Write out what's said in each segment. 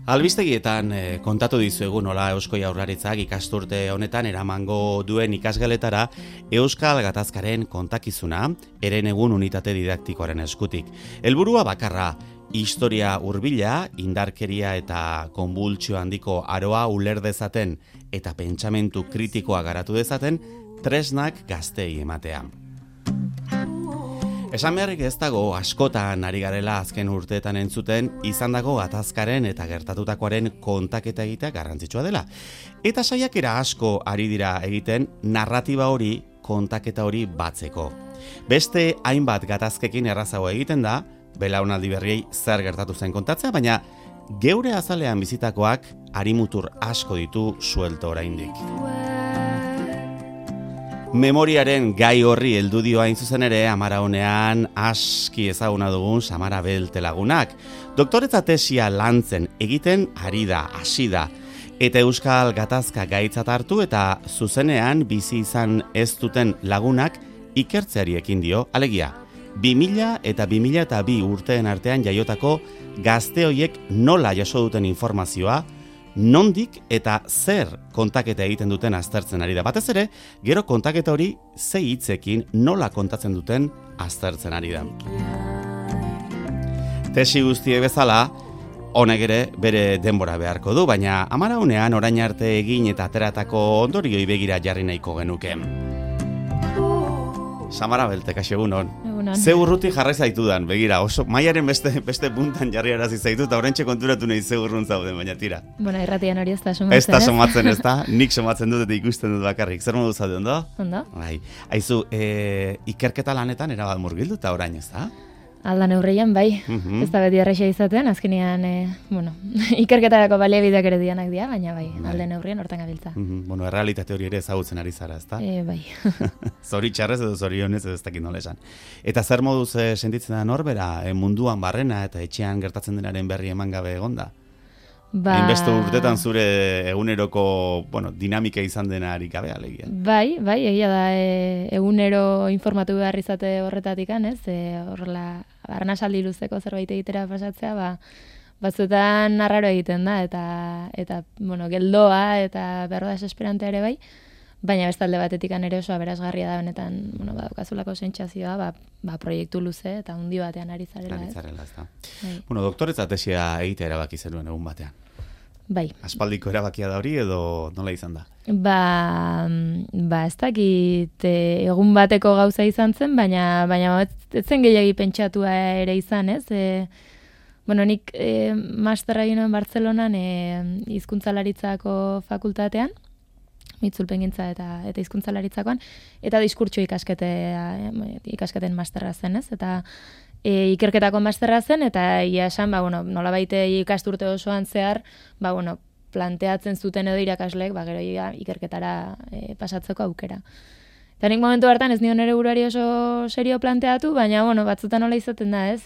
Albistegietan kontatu dizuegu nola Eusko Jaurlaritzak ikasturte honetan eramango duen ikasgeletara Euskal Gatazkaren kontakizuna Herenegun unitate didaktikoaren eskutik. Helburua bakarra, historia hurbila, indarkeria eta konbultsio handiko aroa uler dezaten eta pentsamentu kritikoa garatu dezaten tresnak gazteei ematea. Esan beharrik ez dago askotan ari garela azken urteetan entzuten izandako gatazkaren eta gertatutakoaren kontaketa egitea garrantzitsua dela. Eta saiakera asko ari dira egiten narratiba hori, kontaketa hori batzeko. Beste hainbat gatazkekin errazago egiten da, belaunaldi berriei zer gertatu zen kontatzea, baina geure azalean bizitakoak harimutur asko ditu suelto oraindik. Memoriaren gai horri heldu dio hain zuzen ere Amara honean aski ezaguna dugun Samara Belte lagunak. Doktoretza tesia lantzen egiten ari da, hasi da. Eta Euskal Gatazka gaitzat hartu eta zuzenean bizi izan ez duten lagunak ikertzeari ekin dio, alegia. 2000 eta 2002 urteen artean jaiotako gazte hoiek nola jaso duten informazioa, nondik eta zer kontaketa egiten duten aztertzen ari da. Batez ere, gero kontaketa hori ze hitzekin nola kontatzen duten aztertzen ari da. Tesi guztie bezala, honek ere bere denbora beharko du, baina Amara honean orain arte egin eta ateratako ondorioi begira jarri nahiko genuke. Samara Belte, kaixo egunon. Ze urruti jarrai zaitudan, begira, oso maiaren beste puntan jarri arazi zaitu, eta oraintxe konturatu nahi ze urrun zauden, baina tira. Bueno, irratian hori ez da somatzen, ez da somatzen, ez da? Nik somatzen dut eta ikusten dut bakarrik. Zer modu zaude, ondo? Ondo. Bai. Aizu, ikerketa lanetan erabat murgildu eta orain, ez da? Alda neurrian, bai. Ez da beti erraxa izaten, azkenean, ikerketarako baliabideak ere dianak dira, baina bai, alde neurrian hortan gabiltza. Bueno, errealitate hori ere ezagutzen ari zara, ez da? Bai. Zoritxarrez edo zorionez edo ez dakit nola esan. Eta zer moduz sentitzen da norbera, munduan barrena eta etxean gertatzen denaren berri eman gabe egonda? Hainbeste urtetan zure eguneroko dinamika izan dena harik gabe alegia. Bai, egia da egunero informatu behar izate horretatik, ez? Horrela, arnasaldi luzeko zerbait egitera pasatzea, batzuetan arraro egiten da, eta geldoa eta berroa desesperantea ere bai, baina bestalde batetik ere oso aberasgarria da benetan, badukazulako sentsazioa, proiektu luze eta hundi batean ari zarela, ez? Doktoretza tesia egitea erabaki zenuen egun batean. Bai. Aspaldiko erabakia da hori edo nola izan da? Ez dakit egun bateko gauza izan zen, baina ez zen gehiagi pentsatua ere izan, ez? Nik masterra egin nuen Bartzelonan hizkuntzalaritzako fakultatean, itzulpengintza eta hizkuntzalarritzakoan, eta diskurtso ikasketen masterra zen, ez? Eta ikerketako masterra zen, eta ia esan, nolabait ikasturte osoan zehar, planteatzen zuten edo irakasleek, gero ikerketara pasatzeko aukera. Eta nik momentu hartan ez nion ere buruari oso serio planteatu, baina batzutan nola izaten da, ez?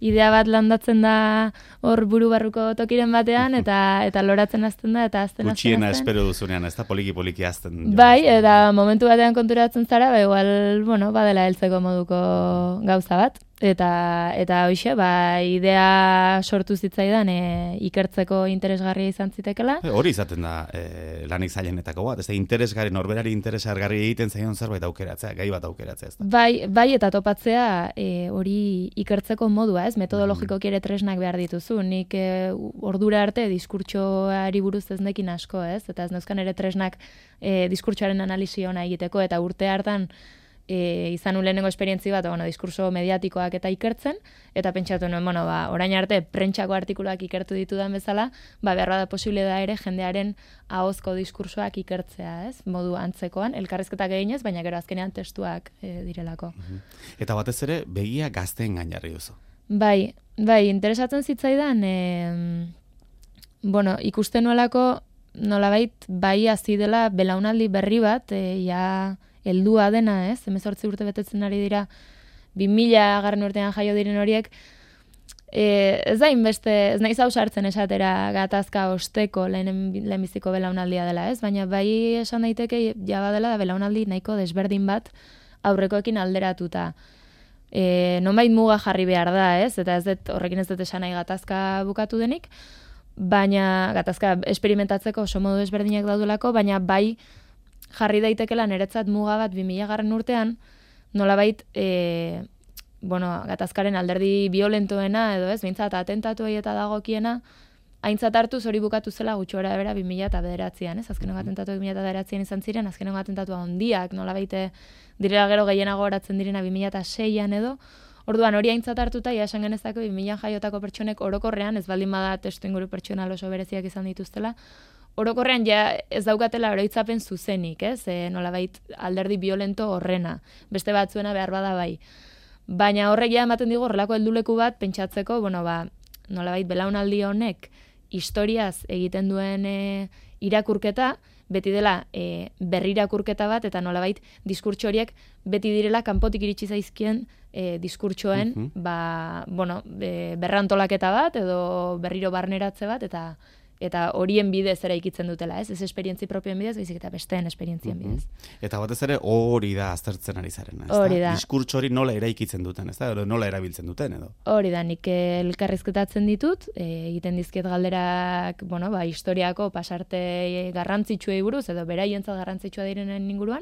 Idea bat landatzen da hor buru barruko tokiren batean, eta loratzen azten da, eta azten. Gutxiena espero duzunean, ez da poliki azten. Bai, eta momentu batean konturatzen zara, igual, badela heltzeko moduko gauza bat. Eta hoxe, idea sortu zitzaidan ikertzeko interesgarria izan zitekela. Hori izaten da lanik zailenetako bat, ez da interesgarri, norberari interesgarri egiten zaion zerbait aukeratzea, gai bat aukeratzea, ez da. Bai, eta topatzea hori ikertzeko modua, ez? Metodologikoki ere tresnak behar dituzu. Nik ordura arte diskurtsoari buruz ez nekin asko, ez? Eta ez neuzkan ere tresnak diskurtsoaren analisi ona egiteko, eta urte hartan izan lehenengo esperientzi bat, diskurso mediatikoak eta ikertzen, eta pentsatu nuen, orain arte prentsako artikuluak ikertu ditudan bezala, beharra da posible da ere jendearen ahozko diskursoak ikertzea, ez? Modu antzekoan, elkarrizketak eginez, baina gero azkenean testuak direlako. Eta batez ere, begia gazteen gain jarri duzu. Bai, interesatzen zitzaidan, ikusten nuelako, nolabait, hasi dela belaunaldi berri bat, heldua dena, ez? 18 urte betetzen ari dira, 2000 garren urtean jaio diren horiek, ez da inbeste, ez naiz hau sartzen esatera gatazka osteko lehenbiziko belaunaldia dela, ez? Baina bai esan daiteke jaba dela da belaunaldi nahiko desberdin bat aurrekoekin alderatuta. Nonbait muga jarri behar da, ez? Eta horrekin ez dut esan nahi gatazka bukatu denik, baina gatazka esperimentatzeko oso modu ezberdinak daudelako, baina bai jarri daitekela niretzat muga bat 2000 urtean, nolabait, gatazkaren alderdi violentoena edo ez, behintzat atentatuei eta dagokiena, aintzat hartuz hori bukatu zela gutxora bera 2009an, ez? Azkenengo atentatuak 2009an izan ziren, azkenengo atentatua handiak, nolabait direla gero gehienago oratzen direna 2006an edo. Orduan hori aintzat hartuta, ja esan genezako 2000 jaiotako pertsonek orokorrean, ez baldin bada testu inguru pertsonal oso bereziak izan dituztela, orokorrean ja ez daukatela oroitzapen zuzenik, ez? Nolabait alderdi violento horrena, beste batzuena behar bada bai. Baina horrek ja ematen digu horrelako helduleku bat pentsatzeko, nolabait belaunaldi honek historiaz egiten duen irakurketa, beti dela berrirakurketa bat, eta nolabait diskurtso horiek beti direla kanpotik iritsi zaizkien diskurtsoen berrantolaketa bat, edo berriro barneratze bat, eta horien bidez eraikitzen dutela, ez? Ez esperientzi propioen bidez, baizik eta besteen esperientzien bidez. Eta batez ere hori da aztertzen ari zarena, ez hori da. Diskurtso hori nola eraikitzen duten, ez da? Edo nola erabiltzen duten, edo? Hori da, nik elkarrizketatzen ditut, egiten dizkiet galderak, historiako pasarte garrantzitsuei buruz, edo beraientzat garrantzitsua direnen inguruan,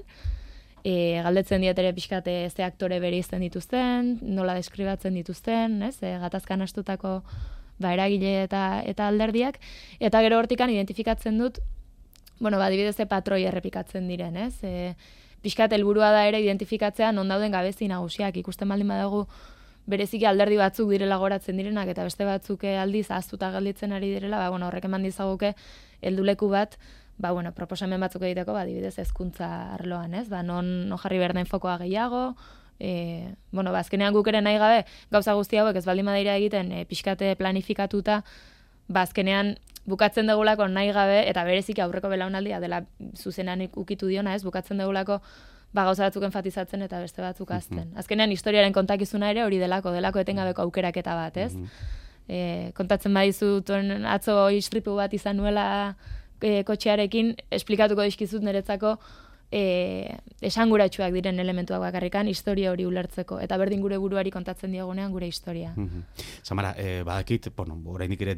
galdetzen diet ere pixkate ze aktore bereizten dituzten, nola deskribatzen dituzten, ez? Gatazkan astutako eragile eta alderdiak, eta gero hortikan identifikatzen dut, adibidez patroi errepikatzen diren, ez? Pixkat helburua da ere identifikatzea non dauden gabezi nagusiak, ikusten baldin badago bereziki alderdi batzuk direla goratzen direnak, eta beste batzuk aldiz ahaztuta gelditzen ari direla, horrek eman dizaguke helduleku bat, proposamen batzuk egiteko, adibidez hezkuntza arloan, ez? Non jarri behar den fokoa gehiago, azkenean guk ere nahi gabe, gauza guzti hauek ez baldin badira egiten pixkate planifikatuta, azkenean bukatzen dugulako nahi gabe, eta bereziki aurreko belaunaldia dela zuzenan ukitu diona, ez? Bukatzen dugulako gauza batzuk enfatizatzen eta beste batzuk azten. Azkenean historiaren kontakizuna ere hori delako etengabeko aukeraketa bat, ez? Kontatzen badizut atzo istripu bat izan nuela kotxearekin, esplikatuko dizkizut niretzako esanguratsuak diren elementuak bakarrikan historia hori ulertzeko, eta berdin gure buruari kontatzen diogunean gure historia. Samara, badakit, oraindik ere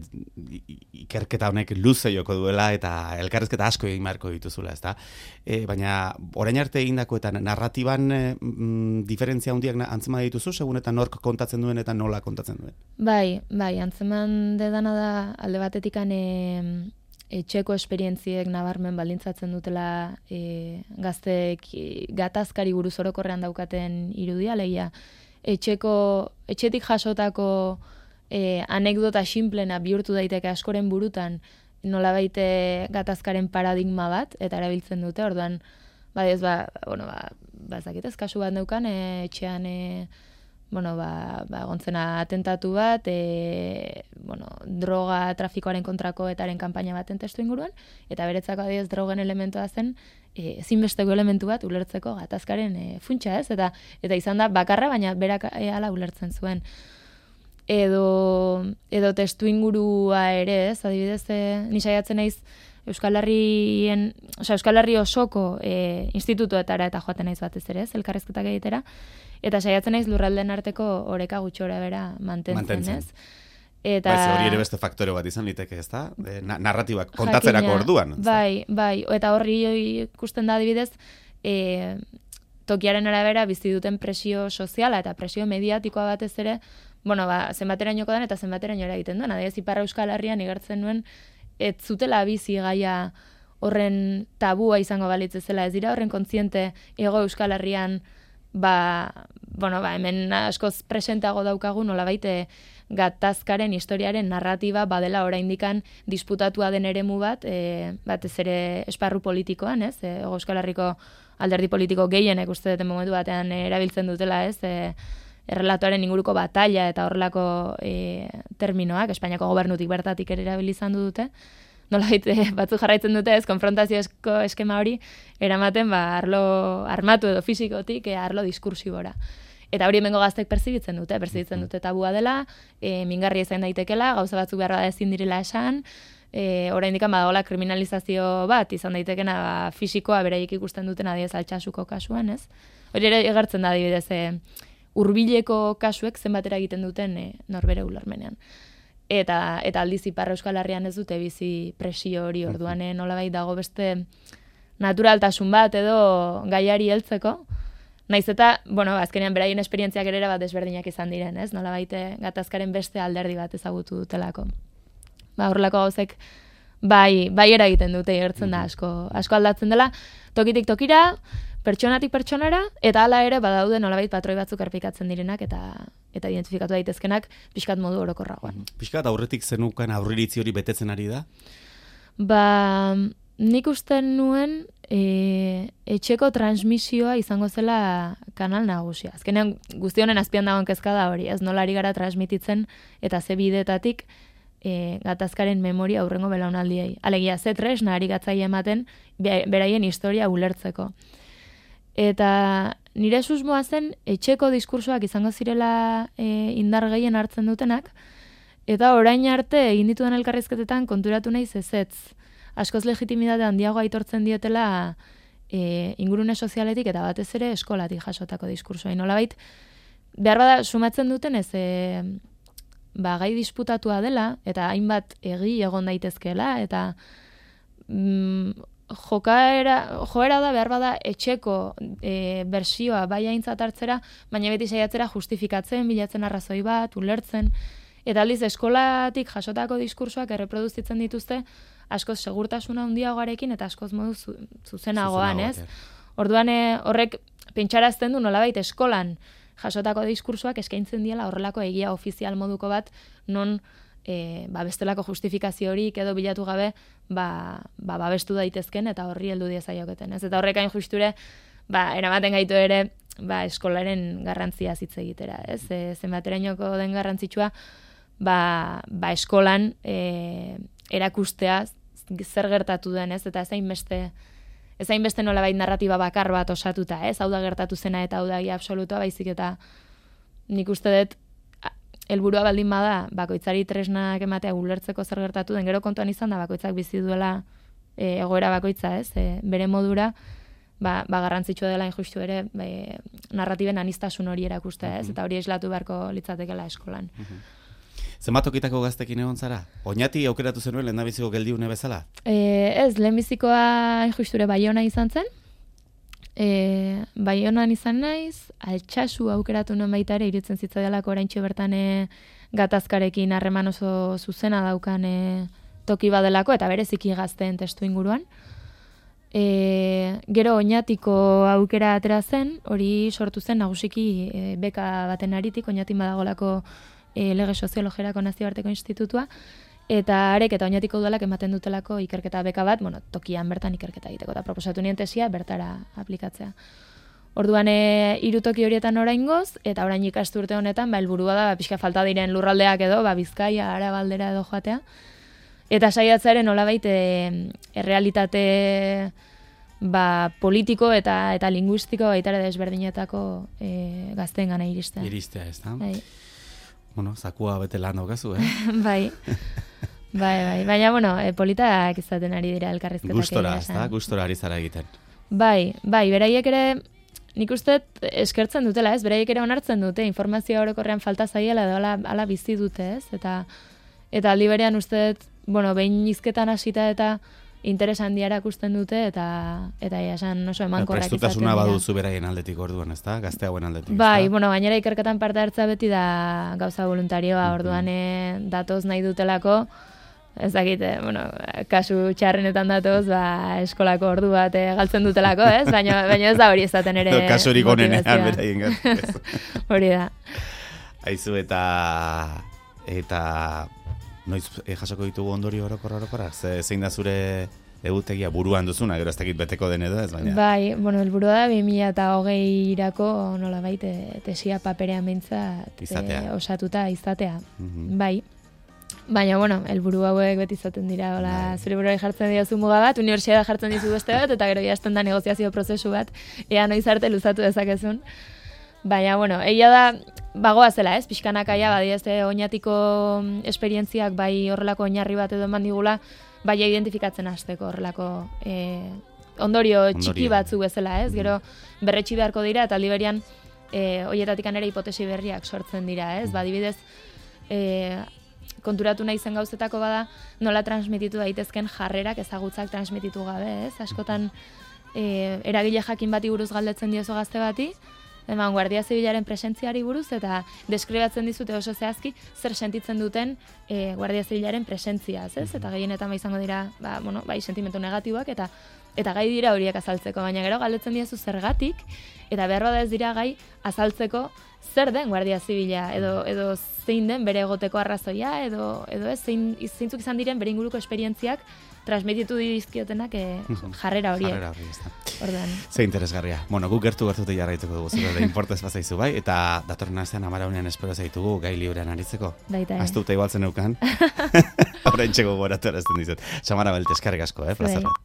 ikerketa honek luze joko duela eta elkarrezketa asko egin beharko dituzula, ezta? Baina orain arte egindako eta narratiban diferentzia handiak antzeman dituzu, segun eta nork kontatzen duen eta nola kontatzen duen? Bai, antzeman dedana da alde batetikan etxeko esperientziek nabarmen baldintzatzen dutela gazteek gatazkari buruz orokorrean daukaten irudia, leia etxetik jasotako anekdota sinplena bihurtu daiteke askoren burutan nolabait gatazkaren paradigma bat, eta erabiltzen dute, orduan, ezakit ez kasu bat neukan, etxean gontzena atentatu bat, droga trafikoaren kontrako etaren kanpaina baten testu inguruan, eta beretzako adibidez drogen elementua zen, ezinbesteko elementu bat ulertzeko gatazkaren funtsa, ez? Eta izan da bakarra, baina berak hala ulertzen zuen. Edo testu ingurua ere, ez? Adibidez, ni saiatzen naiz Euskal Herri osoko institutuetara eta joaten naiz batez ere, ez? Elkarrizketak egitera. Eta saiatzen naiz lurraldeen arteko oreka gutxora bera mantentzen, ez? Eta hori ere beste faktore bat izan liteke, ez da? Narratibak kontatzerako orduan. Bai, eta horri ikusten da adibidez, tokiaren arabera bizi duten presio soziala eta presio mediatikoa batez ere, zenbaterainoko dan eta zenbateraino eragiten duen. Adibidez, Ipar Euskal Herrian igartzen nuen, ez zutela bizi gaia horren tabua izango balitz zela, ez dira horren kontziente Hego Euskal Herrian hemen askoz presenteago daukagu nolabait gatazkaren historiaren narratiba badela oraindikan disputatua den eremu bat, batez ere esparru politikoan, ez? Euskal Herriko alderdi politiko gehienek uste duten momentu batean erabiltzen dutela, ez? Errelatoaren inguruko batalla eta horrelako terminoak, Espainiako gobernutik bertatik ere erabilizan dute. Nolabait batzuk jarraitzen dute ez, konfrontaziozko eskema hori eramaten arlo armatu edo fisikotik arlo diskursibora. Eta hori hemengo gaztek perzibitzen dute tabua dela, mingarria izan daitekela, gauza batzuk behar bada ezin direla esan, oraindik badagoela kriminalizazio bat izan daitekena fisikoa beraiek ikusten duten adiez altxasuko kasuan, ez? Hori ere egertzen da adibidez hurbileko kasuek zenbatera egiten duten norbere ulermenean. eta aldiz Ipar Euskal Herrian ez dute bizi presio hori, orduan nolabait dago beste naturaltasun bat edo gaiari heltzeko. Naiz eta, azkenean beraien esperientziak ere bat desberdinak izan diren, ez? Nolabait gatazkaren beste alderdi bat ezagutu dutelako. Horrelako gauzek bai eragiten dute, gertzen da asko aldatzen dela, tokitik tokira, pertsonatik pertsonara, eta hala ere badaude nolabait patroi batzuk errepikatzen direnak eta identifikatu daitezkenak pixkat modu orokorragoan. Pixkat aurretik zenukan aurriritzi hori betetzen ari da? Nik usten nuen etxeko transmisioa izango zela kanal nagusia. Azkenean guzti honen azpian dagoen kezka da hori, ez nola ari gara transmititzen eta ze bidetatik gatazkaren memoria aurrengo belaunaldiei. Alegia, ze tresna ari gatzaia ematen beraien historia ulertzeko. Eta nire susmoa zen etxeko diskursoak izango zirela indar gehien hartzen dutenak, eta orain arte egin ditudan elkarrizketetan konturatu naiz ezetz. Askoz legitimitate handiago aitortzen dietela ingurune sozialetik eta batez ere eskolatik jasotako diskursoa. Nolabait, behar bada sumatzen duten ez gai disputatua dela eta hainbat egi egon daitezkeela eta joera da behar bada etxeko bersioa bai aintzat hartzera, baina beti saiatzera justifikatzen, bilatzen arrazoi bat, ulertzen, eta aldiz eskolatik jasotako diskursoak erreproduzitzen dituzte askoz segurtasuna handiagoarekin eta askoz modu zuzenagoan, ez? Orduan horrek pentsarazten du nolabait eskolan jasotako diskursoak eskaintzen diela horrelako egia ofizial moduko bat non bestelako justifikazio horik edo bilatu gabe babestu daitezken eta horri heldu diezaioketen, ez? Eta horrek hain justure eramaten gaitu ere eskolaren garrantzia hitz egitera, ez? Zenbaterainoko den garrantzitsua eskolan erakustea zer gertatu den, ez? Eta ez hainbeste nolabait narratiba bakar bat osatuta, ez? Hau da gertatu zena eta hau da egia absolutua, baizik eta nik uste dut helburua baldin bada bakoitzari tresnak ematea ulertzeko zer gertatu den, gero kontuan izan da bakoitzak bizi duela egoera bakoitza, ez? Bere modura garrantzitsua dela injustu ere narratiben anistasun hori erakustea, ez? Eta hori islatu beharko litzatekeela eskolan. Zenbat okitako gaztekin egon zara? Oñati aukeratu zenuen lehendabiziko geldiune bezala? Ez, lehenbizikoa injusture Baiona izan zen. Baionan izan naiz, Altsasu aukeratu nuen baita ere, iruditzen zitzaialako oraintxe bertan gatazkarekin harreman oso zuzena daukan toki badelako, eta bereziki gazteen testu inguruan. Gero Oñatiko aukera atera zen, hori sortu zen nagusiki beka baten aritik, Oñatin badagolako lege soziologerako nazioarteko institutua, eta arek eta Oñatiko udalak ematen dutelako ikerketa beka bat, tokian bertan ikerketa egiteko, eta proposatu nien tesia bertara aplikatzea. Orduan, 3 toki horietan oraingoz, eta orain ikasturte honetan, helburua da, pixka falta diren lurraldeak edo, Bizkaia, Araba aldera edo joatea, eta saiatzearen nolabait errealitate politiko eta linguistiko baita ere desberdinetako gazteen gana iristea. Iristea, ez da? Zakua bete lan daukazu, Bai. Baina, politak izaten ari dira elkarrizketak. Gustora, ez da? Gustora ari zara egiten. Bai, beraiek ere, nik uste eskertzen dutela, ez? Beraiek ere onartzen dute, informazioa orokorrean falta zaiela edo ala bizi dute, ez? Eta aldi berean uste, behin hizketan hasita eta interes handia erakusten dute eta esan oso emankorrak izaten dira. Prestutasuna baduzu beraien aldetik orduan, ez da? Gazte hauen aldetik. Bai, gainera ikerketan parte hartza beti da gauza voluntarioa, orduan datoz nahi dutelako, ez dakit, kasu txarrenetan datoz, eskolako ordu bat galtzen dutelako, ez? Baina ez da hori ezaten ere kasurik onenean beraien gatzez. Hori da. Aizu eta noiz jasoko ditugu ondorio orokorrak? Zein da zure egutegia buruan duzuna, gero ez dakit beteko den edo ez, baina... Bai, helburua da 2020-irako nolabait tesia paperean behintzat osatuta izatea. Bai. Baina, helburu hauek beti izaten dira, zure buruari jartzen diozu muga bat, unibertsitatea jartzen dizu beste bat, eta gero jazten da negoziazio prozesu bat, ea noiz arte luzatu dezakezun. Baina, egia da, bagoa zela, ez? Pixkanakaia, Oñatiko esperientziak bai horrelako oinarri bat edo eman digula, bai identifikatzen hasteko horrelako ondorio txiki batzu bezala, ez? Gero berretsi beharko dira, eta aldi berian hoietatikan ere hipotesi berriak sortzen dira, ez? Adibidez, konturatu nahi zen gauzetako bada nola transmititu daitezken jarrerak ezagutzak transmititu gabe, ez? Askotan eragile jakin bati buruz galdetzen diozu gazte bati, Guardia Zibilaren presentziari buruz, eta deskribatzen dizute oso zehazki zer sentitzen duten Guardia Zibilaren presentziaz, ez? Eta gehienetan izango dira, bai sentimentu negatiboak, eta gai dira horiek azaltzeko, baina gero galdetzen diezu zergatik, eta behar bada ez dira gai azaltzeko zer den Guardia Zibila, edo zein den bere egoteko arrazoia, edo ez, zeintzuk izan diren bere inguruko esperientziak transmititu dizkiotenak jarrera horiek. Jarrera horiek, ez da. Ordan. Ze interesgarria. Bueno, guk gertu-gertute jarraituko dugu, zure importez bazaizu bai, eta datorren astean Amaraunean espero zaitugu gai librean aritzeko. Baita. Aztuta igualtzen eukan. Horrein txeko goratu erazten dizut. Samara Belte, eskerrik asko, plazerra.